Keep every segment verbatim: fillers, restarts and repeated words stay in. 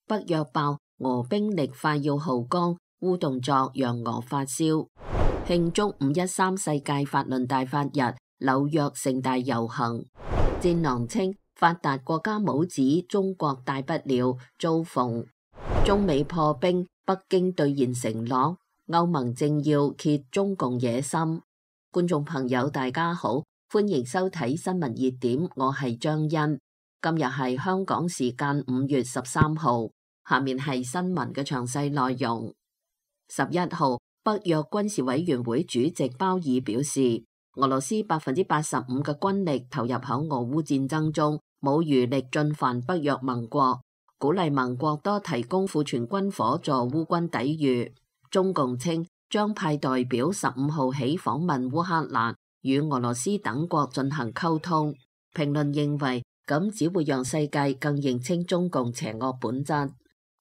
北約爆俄兵力快要耗光，烏動作讓俄發燒。慶祝五一三世界法輪大法日，紐約盛大遊行。戰狼稱發達國家帽子中國大不了，遭諷。中美破冰，北京兌現承諾，歐盟政要揭中共野心。觀眾朋友大家好，歡迎收睇新聞熱點，我係張欣。今日係香港時間五月十三號，下面係新聞嘅詳細內容。十一號，北約軍事委員會主席鮑爾表示，俄羅斯百分之八十五嘅軍力投入響俄烏戰爭中，冇餘力進犯北約盟國，鼓勵盟國多提供庫存軍火助烏軍抵禦。中共稱將派代表十五號起訪問烏克蘭，與俄羅斯等國進行溝通。評論認為，咁只會讓世界更認清中共邪惡本質。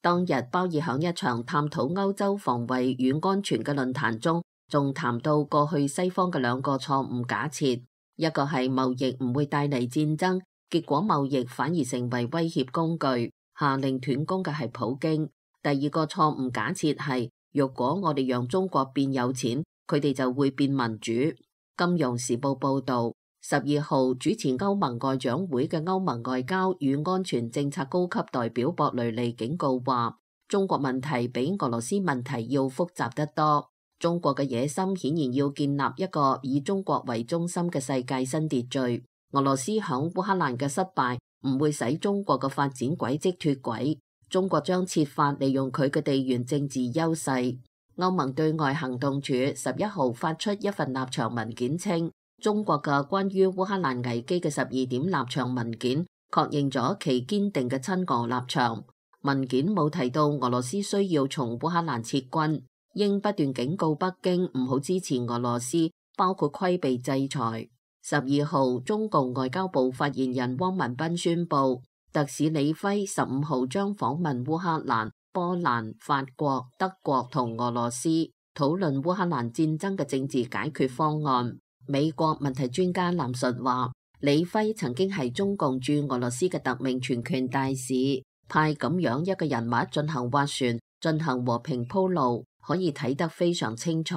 當日鮑爾響一場探討歐洲防衛與安全嘅論壇中，仲談到過去西方嘅兩個錯誤假設，一個係貿易唔會帶嚟戰爭，結果貿易反而成為威脅工具，下令斷供嘅係普京。第二個錯誤假設係，若果我哋讓中國變有錢，佢哋就會變民主。金融時報報道，十二號主持歐盟外長會嘅歐盟外交與安全政策高級代表博雷利警告話，中國問題比俄羅斯問題要複雜得多。中國嘅野心顯然要建立一個以中國為中心嘅世界新秩序。俄羅斯響烏克蘭嘅失敗唔會使中國嘅發展軌跡脫軌，中國將設法利用佢嘅地緣政治優勢。歐盟對外行動處十一號發出一份立場文件稱，中國嘅關於烏克蘭危機嘅十二點立場文件確認咗其堅定嘅親俄立場。文件冇提到俄羅斯需要從烏克蘭撤軍，應不斷警告北京唔好支持俄羅斯，包括規避制裁。十二號，中共外交部發言人汪文斌宣布，特使李輝十五號將訪問烏克蘭、波蘭、法國、德國同俄羅斯，討論烏克蘭戰爭嘅政治解決方案。美國問題專家藍述話，李輝曾經係中共駐俄羅斯嘅特命全權大使，派咁樣一個人物進行斡旋，進行和平鋪路，可以睇得非常清楚。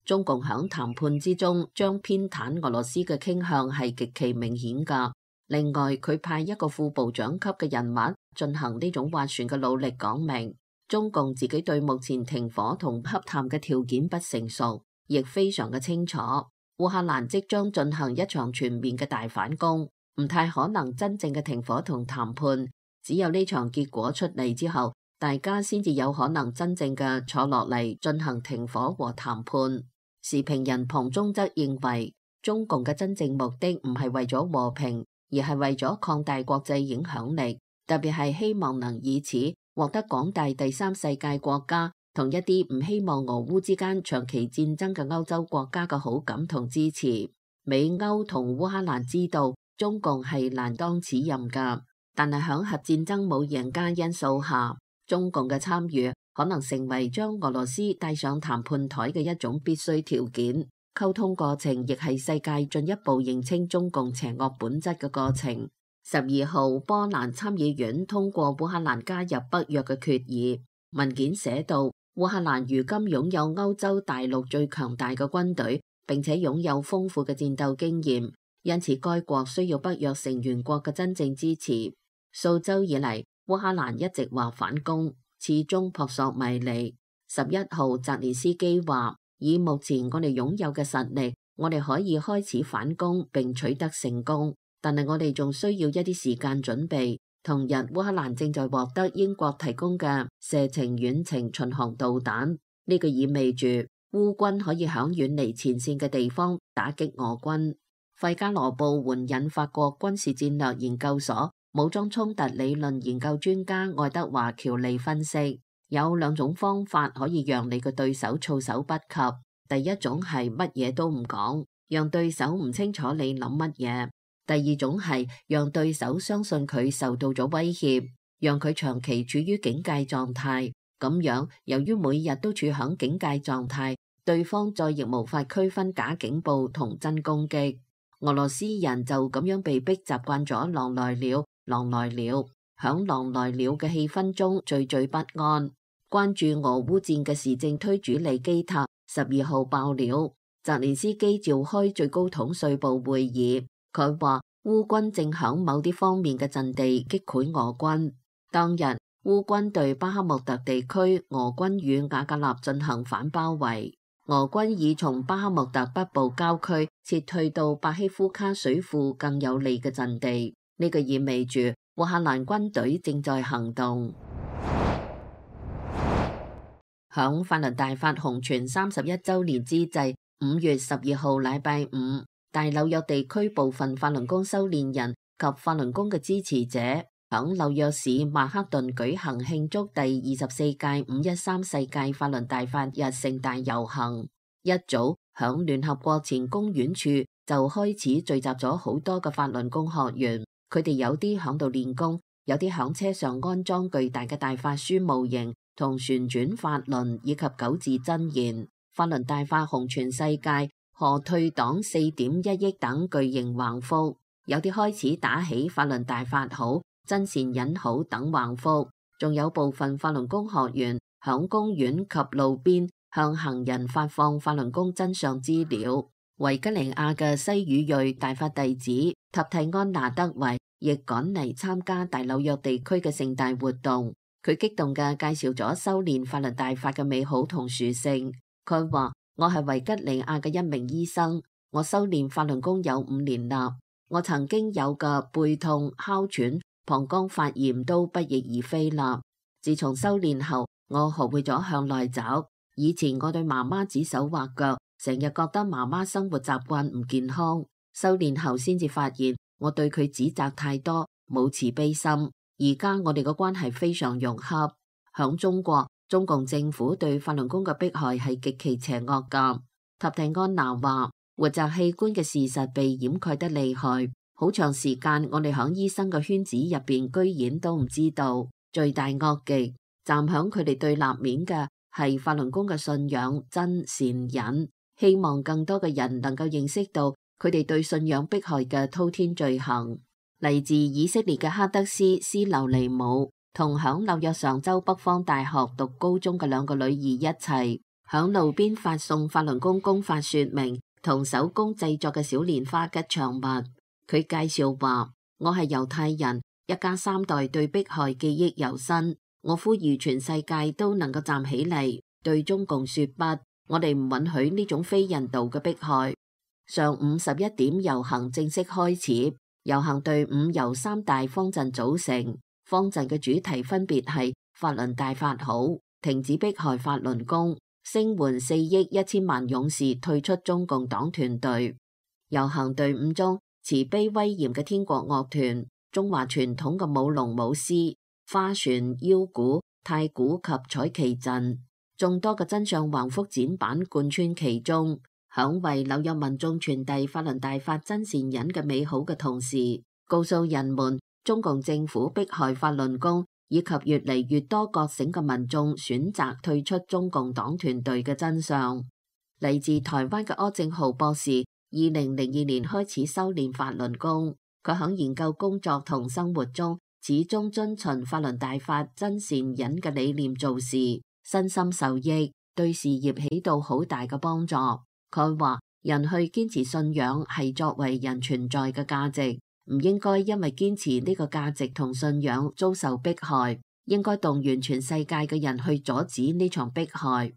中共響談判之中將偏袒俄羅斯嘅傾向係極其明顯㗎。另外，佢派一個副部長級嘅人物進行呢種斡旋嘅努力，講明中共自己對目前停火同洽談嘅條件不成熟，亦非常嘅清楚。烏克蘭即將進行一場全面嘅大反攻，唔太可能真正嘅停火同談判。只有呢場結果出嚟之後，大家先至有可能真正嘅坐落嚟進行停火和談判。時評人龐中則認為，中共嘅真正目的唔係為咗和平，而係為咗擴大國際影響力，特別係希望能以此獲得廣大第三世界國家同一啲唔希望俄烏之間長期戰爭嘅歐洲國家嘅好感同支持。美歐同烏克蘭知道中共係難當此任㗎，但係響核戰爭冇贏家因素下，中共嘅參與可能成為將俄羅斯帶上談判台嘅一種必須條件。溝通過程亦係世界進一步認清中共邪惡本質嘅過程。十二號，波蘭參議院通過烏克蘭加入北約嘅決議，文件寫到，烏克蘭如今擁有歐洲大陸最強大嘅軍隊，並且擁有豐富嘅戰鬥經驗，因此該國需要北約成員國嘅真正支持。數週以嚟，烏克蘭一直話反攻，始終撲朔迷離。十一號，澤連斯基話，以目前我哋擁有嘅實力，我哋可以開始反攻並取得成功，但係我哋仲需要一啲時間準備。同日，烏克蘭正在獲得英國提供嘅射程遠程巡航導彈，呢個意味住烏軍可以響遠離前線嘅地方打擊俄軍。費加羅報援引法國軍事戰略研究所武裝衝突理論研究專家愛德華喬利分析，有兩種方法可以讓你嘅對手措手不及。第一種係乜嘢都唔講，讓對手唔清楚你諗乜嘢。第二種係讓對手相信佢受到咗威脅，讓佢長期處於警戒狀態。咁樣，由於每日都處響警戒狀態，對方再亦無法區分假警報同真攻擊。俄羅斯人就咁樣被逼習慣咗狼來了，狼來了。響狼來了嘅氣氛中惴惴不安。關注俄烏戰嘅時政推主理基塔十二號爆料，澤連斯基召開最高統帥部會議，佢話烏軍正響某啲方面嘅陣地擊潰俄軍。當日烏軍對巴克穆特地區俄軍與瓦格納進行反包圍，俄軍已從巴克穆特北部郊區撤退到巴希夫卡水庫更有利嘅陣地，呢、這個意味住烏克蘭軍隊正在行動。響法輪大法紅傳三十一週年之際，五月十二號禮拜五，大紐約地區部分法輪功修煉人及法輪功嘅支持者響紐約市曼克頓舉行慶祝第二十四屆五一三世界法輪大法日盛大遊行。一早響聯合國前公園處就開始聚集咗好多嘅法輪功學員，佢哋有啲響度練功，有啲響車上安裝巨大嘅大法書模型同旋轉法輪以及九字真言。法輪大法紅全世界，何退黨四點一億等巨型橫幅，有啲開始打起法輪大法好、真善忍好等橫幅，仲有部分法輪功學員響公園及路邊向行人發放法輪功真相資料。維吉尼亞嘅西語裔大法弟子塔蒂安娜德維亦趕嚟參加大紐約地區嘅盛大活動。佢激動嘅介紹咗修煉法輪大法嘅美好同殊勝。佢話：我係維吉尼亞嘅一名醫生，我修煉法輪功有五年啦。我曾經有嘅背痛、哮喘、膀胱發炎都不翼而飛啦。自從修煉後，我學會咗向內找。以前我對媽媽指手畫腳，成日覺得媽媽生活習慣唔健康。修煉後先至發現，我對佢指責太多，冇慈悲心。而家我哋嘅關係非常融洽。響中國，中共政府對法輪功嘅迫害係極其邪惡噶。塔蒂安娜話：活摘器官嘅事實被掩蓋得厲害，好長時間我哋響醫生嘅圈子入邊居然都唔知道。罪大惡極，站響佢哋對立面嘅係法輪功嘅信仰真善忍，希望更多嘅人能夠認識到佢哋對信仰迫害嘅滔天罪行。嚟自以色列嘅哈德斯斯留尼姆同響紐約上州北方大學讀高中嘅兩個女兒一齊響路邊發送法輪功功法說明同手工製作嘅小蓮花吉祥物。佢介紹話：我係猶太人，一家三代對迫害記憶猶新。我呼籲全世界都能夠站起嚟，對中共說不，我哋唔允許呢種非人道嘅迫害。上午十一點遊行正式開始。遊行隊伍由三大方陣組成，方陣嘅主題分別係法輪大法好、停止迫害法輪功、聲援四億一千萬勇士退出中共黨團隊。遊行隊伍中，慈悲威嚴嘅天國樂團、中華傳統嘅舞龍舞獅、花船、腰鼓、太鼓及彩旗陣，眾多嘅真相橫幅展板貫穿其中。響為紐約民眾傳遞法輪大法真善忍嘅美好嘅同時，告訴人們中共政府迫害法輪功以及越嚟越多覺醒嘅民眾選擇退出中共黨團隊嘅真相。嚟自台灣嘅柯正豪博士，二零零二年開始修煉法輪功，佢響研究工作同生活中始終遵循法輪大法真善忍嘅理念做事，身心受益，對事業起到好大嘅幫助。佢話：人去堅持信仰係作為人存在嘅價值，唔應該因為堅持呢個價值同信仰遭受迫害，應該動員全世界嘅人去阻止呢場迫害。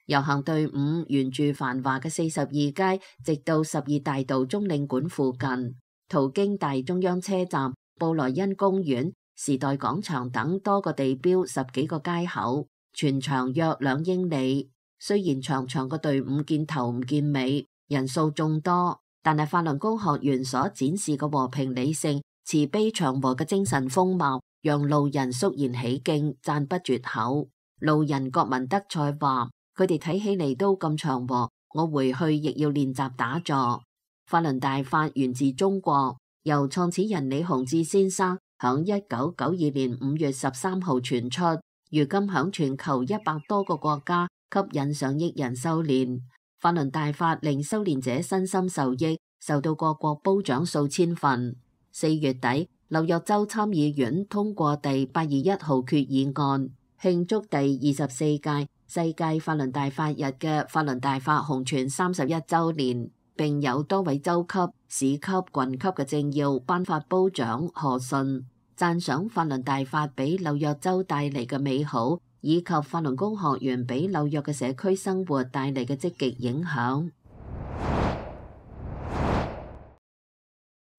遊行隊伍沿住繁華嘅四十二街，直到十二大道中領館附近，途經大中央車站、布萊恩公園、時代廣場等多個地標十幾個街口，全長約兩英里。雖然長長嘅隊伍見頭唔見尾，人數眾多，但係法輪功學員所展示嘅和平理性、慈悲祥和嘅精神風貌，讓路人肅然起敬，讚不絕口。路人郭文德賽話：佢哋睇起嚟都咁祥和，我回去亦要練習打坐。法輪大法源自中國，由創始人李洪志先生響一九九二年五月十三號傳出，如今響全球一百多個國家，吸引上億人修煉。法輪大法令修煉者身心受益，受到各國褒獎數千份。四月底，紐約州參議院通過第八二一號決議案，慶祝第二十四屆世界法輪大法日嘅法輪大法紅傳三十一週年，並有多位州級、市級、郡級嘅政要頒發褒獎賀信，讚賞法輪大法俾紐約州帶嚟嘅美好，以及法輪功學員俾紐約嘅社區生活帶嚟嘅積極影響。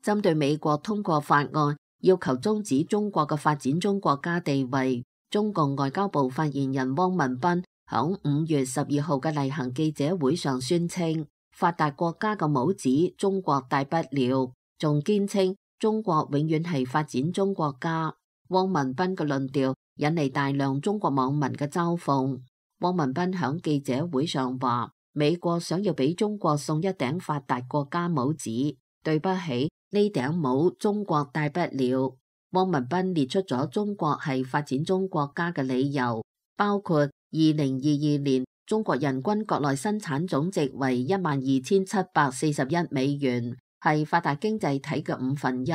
針對美國通過法案，要求終止中國嘅發展中國家地位，中共外交部發言人汪文斌響五月十二號嘅例行記者會上宣稱，發達國家嘅帽子中國戴不了，仲堅稱中國永遠係發展中國家。汪文斌嘅論調引嚟大量中國網民嘅嘲諷。汪文斌響記者會上話，美國想要俾中國送一頂發達國家帽子，對不起，呢頂帽中國戴不了。汪文斌列出咗中國係發展中國家嘅理由，包括二零二二年中國人均國內生產總值為一萬二千七百四十一美元，係發達經濟體嘅五分一，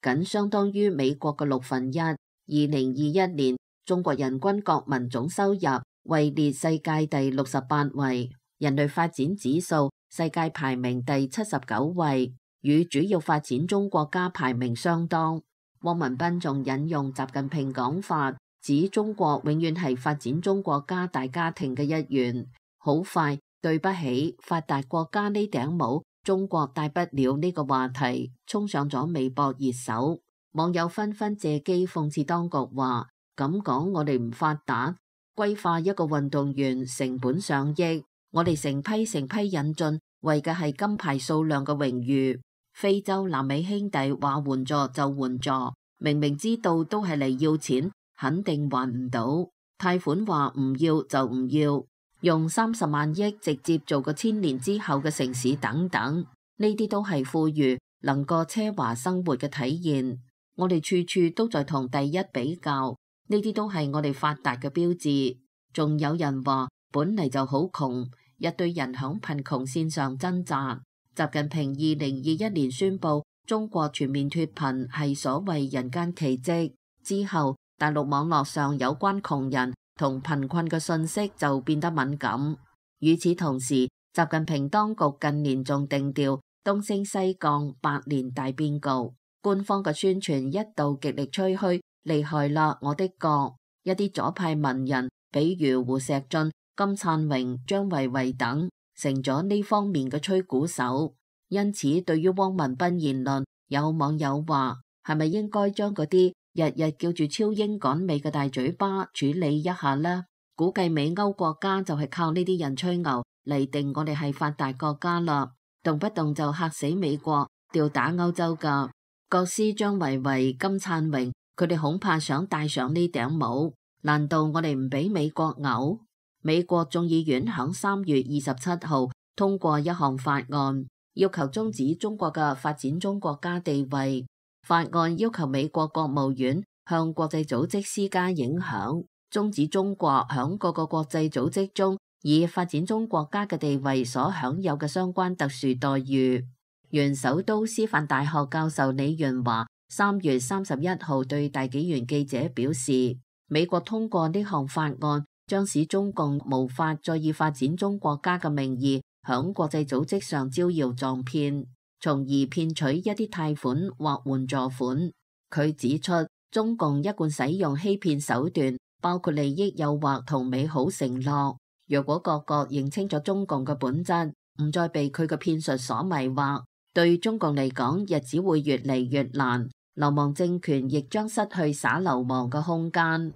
僅相當於美國嘅六分一。二零二一年中國人均國民總收入位列世界第六十八位，人類發展指數世界排名第七十九位，與主要發展中國家排名相當。汪文斌仲引用習近平講法，指中國永遠係發展中國家大家庭嘅一員。好快，對不起，發達國家呢頂帽中國戴不了呢個話題衝上咗微博熱搜，網友紛紛借機諷刺當局話，咁講我哋唔發達，歸化一個運動員成本上億，我哋成批成批引進，為嘅係金牌數量嘅榮譽。非洲、南美兄弟話援助就援助，明明知道都係嚟要錢，肯定還唔到。貸款話唔要就唔要，用三十萬億直接做個千年之後嘅城市等等，呢啲都係富裕能過奢華生活嘅體現。我哋處處都在同第一比較，呢啲都係我哋發達嘅標誌。仲有人話本嚟就好窮，一堆人響貧窮線上掙扎。習近平二零二一年宣布中國全面脫貧係所謂人間奇蹟之後，大陸網絡上有關窮人同貧困嘅信息就變得敏感。與此同時，習近平當局近年仲定調東升西降百年大變局，官方嘅宣傳一度極力吹噓厲害啦我的國，一啲左派文人比如胡錫進、金燦榮、張維維等成咗呢方面嘅吹鼓手。因此對於汪文斌言論，有網友話係咪應該將嗰啲日日叫住超英趕美嘅大嘴巴處理一下呢？估計美歐國家就係靠呢啲人吹牛嚟定我哋係發達國家啦，動不動就嚇死美國吊打歐洲噶。國師張維維、金燦榮佢哋恐怕想戴上呢頂帽，難道我哋唔俾美國牛？美國眾議院響三月二十七號通過一項法案，要求終止中國嘅發展中國家地位。法案要求美國國務院向國際組織施加影響，終止中國響各個國際組織中以發展中國家嘅地位所享有嘅相關特殊待遇。原首都師範大學教授李潤華三月三十一號對大紀元記者表示，美國通過呢項法案，將使中共無法再以發展中國家嘅名義響國際組織上招搖撞騙，從而騙取一啲貸款或援助款。佢指出，中共一貫使用欺騙手段，包括利益誘惑同美好承諾。若果各國認清咗中共嘅本質，唔再被佢嘅騙術所迷惑，對中共嚟講，日子會越嚟越難，流亡政權亦將失去耍流氓嘅空間。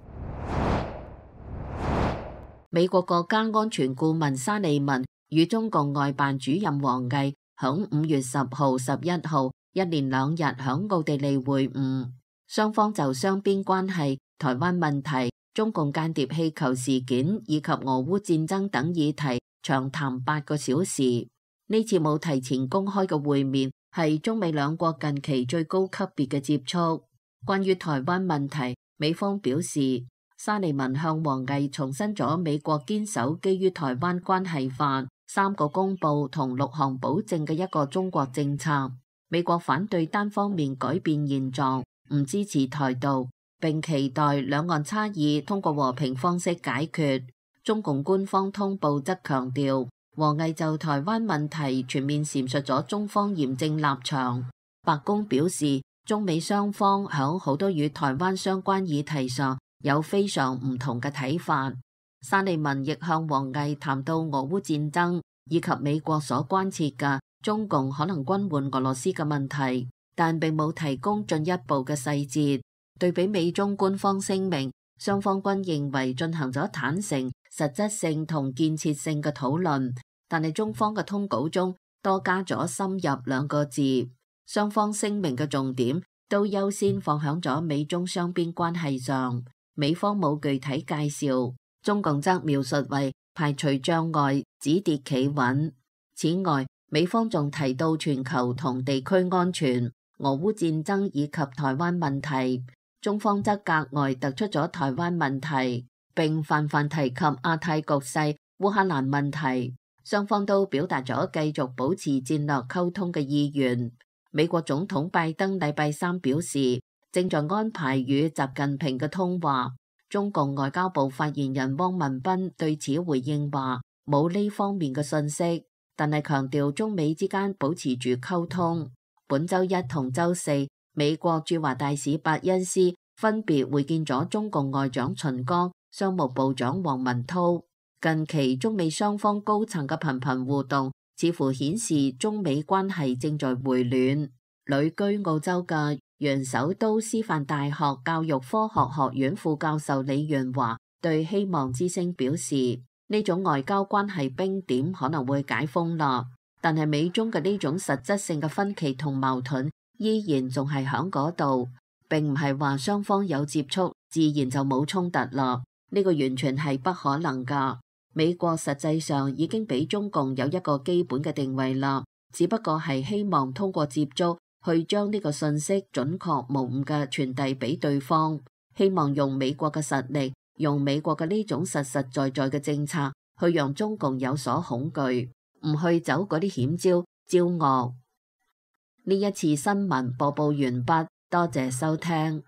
美國國家安全顧問沙利文與中共外辦主任王毅響五月十號、十一號一連兩日響奧地利會晤，雙方就雙邊關係、台灣問題、中共間諜氣球事件以及俄烏戰爭等議題長談八個小時。呢次冇提前公開嘅會面係中美兩國近期最高級別嘅接觸。關於台灣問題，美方表示，沙利文向王毅重申咗美國堅守基於台灣關係法、三個公報同六項保證嘅一個中國政策。美國反對單方面改變現狀，唔支持台獨，並期待兩岸差異通過和平方式解決。中共官方通報則強調，王毅就台灣問題全面闡述咗中方嚴正立場。白宮表示，中美雙方響好多與台灣相關議題上有非常唔同嘅睇法。沙利文亦向王毅談到俄烏戰爭以及美國所關切嘅中共可能軍援俄羅斯嘅問題，但並冇提供進一步嘅細節。對比美中官方聲明，雙方均認為進行咗坦誠、實質性同建設性嘅討論，但係中方嘅通稿中多加咗深入兩個字。雙方聲明嘅重點都優先放響咗美中雙邊關係上，美方冇具體介紹。中共則描述為排除障礙、止跌企穩。此外，美方仲提到全球同地區安全、俄烏戰爭以及台灣問題，中方則格外突出咗台灣問題，並泛泛提及亞太局勢、烏克蘭問題。雙方都表達咗繼續保持戰略溝通嘅意願。美國總統拜登禮拜三表示，正在安排與習近平嘅通話。中共外交部發言人汪文斌對此回應話，冇呢方面嘅信息，但係強調中美之間保持住溝通。本周一同周四，美國駐華大使伯恩斯分別會見咗中共外長秦剛、商務部長王文濤。近期中美雙方高層嘅頻頻互動，似乎顯示中美關係正在回暖。旅居澳洲嘅原首都師範大學教育科學學院副教授李元華對希望之聲表示，呢種外交關係冰點可能會解封啦，但係美中嘅呢種實質性嘅分歧同矛盾依然仲係響嗰度，並唔係話雙方有接觸自然就冇衝突啦，呢個完全係不可能噶。美國實際上已經俾中共有一個基本嘅定位啦，只不過係希望通過接觸去將呢個信息準確無誤嘅傳遞俾對方，希望用美國嘅實力，用美國嘅呢種實實在在嘅政策，去讓中共有所恐懼，唔去走嗰啲險招招惡。呢一次新聞播報完畢，多謝收聽。